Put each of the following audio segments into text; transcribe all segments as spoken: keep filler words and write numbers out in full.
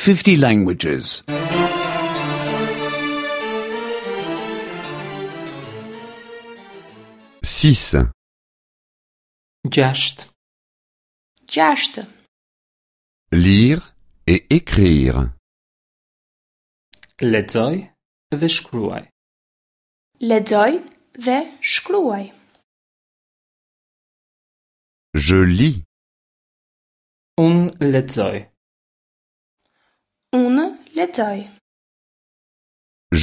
fifty languages. six, Gjashtë. Gjashtë. Lire et écrire. Lexoj dhe shkruaj. Lexoj dhe shkruaj. Je lis. Unë lexoj. Unë lexoj.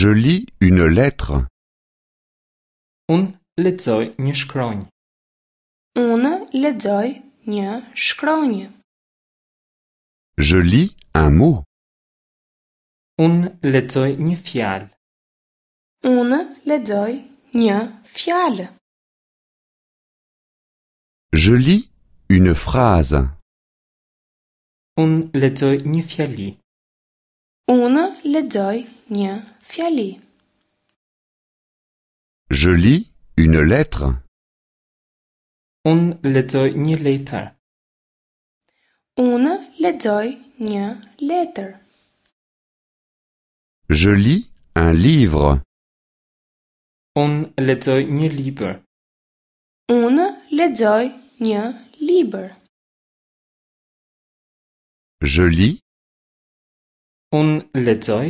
Je lis une lettre. Unë lexoj një shkronjë. Unë lexoj një shkronjë. Je lis un mot. Unë lexoj një fjalë. Unë lexoj një fjalë. Je lis une phrase. Unë lexoj një fjali. Unë lexoj një fjali. Je lis une lettre. Unë lexoj një letër. Unë lexoj një letër. Je lis un livre. Unë lexoj një libër. Unë lexoj një libër. Je lis. Unë lexoj.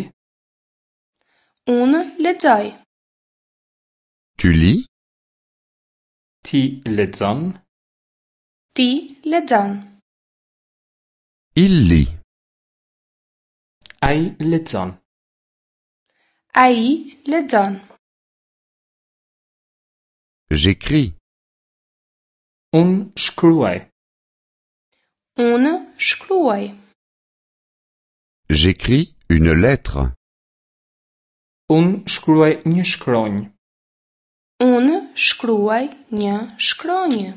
Unë lexoj. Tu lis. Ti lexon. Ti lexon. Il lit. Ai lexon. Ai lexon. J'écris. Unë shkruaj. Unë shkruaj. J'écris une lettre. Unë shkruaj një shkronjë. Unë shkruaj një shkronjë.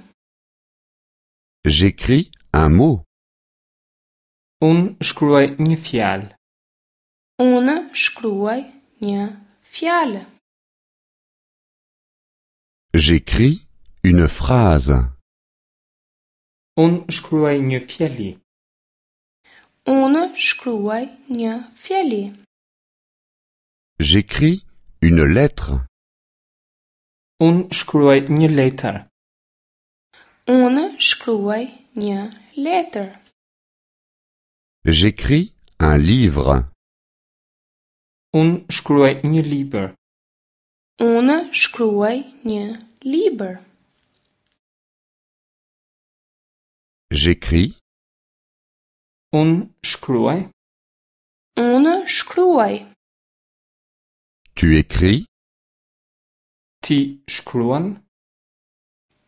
J'écris un mot. Unë shkruaj një fjalë. Unë shkruaj një fjalë. J'écris une phrase. Unë shkruaj një fjali. Unë shkruaj një fjali. J'écris une lettre. Unë shkruaj një letër. Unë shkruaj një letër. J'écris un livre. Unë shkruaj një libër. Unë shkruaj një libër. J'écris. Unë shkruaj. Unë shkruaj. Tu écris. Ti shkruan.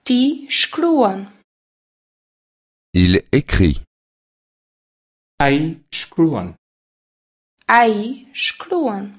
Ti shkruan. Il écrit. Ai shkruan. Ai shkruan.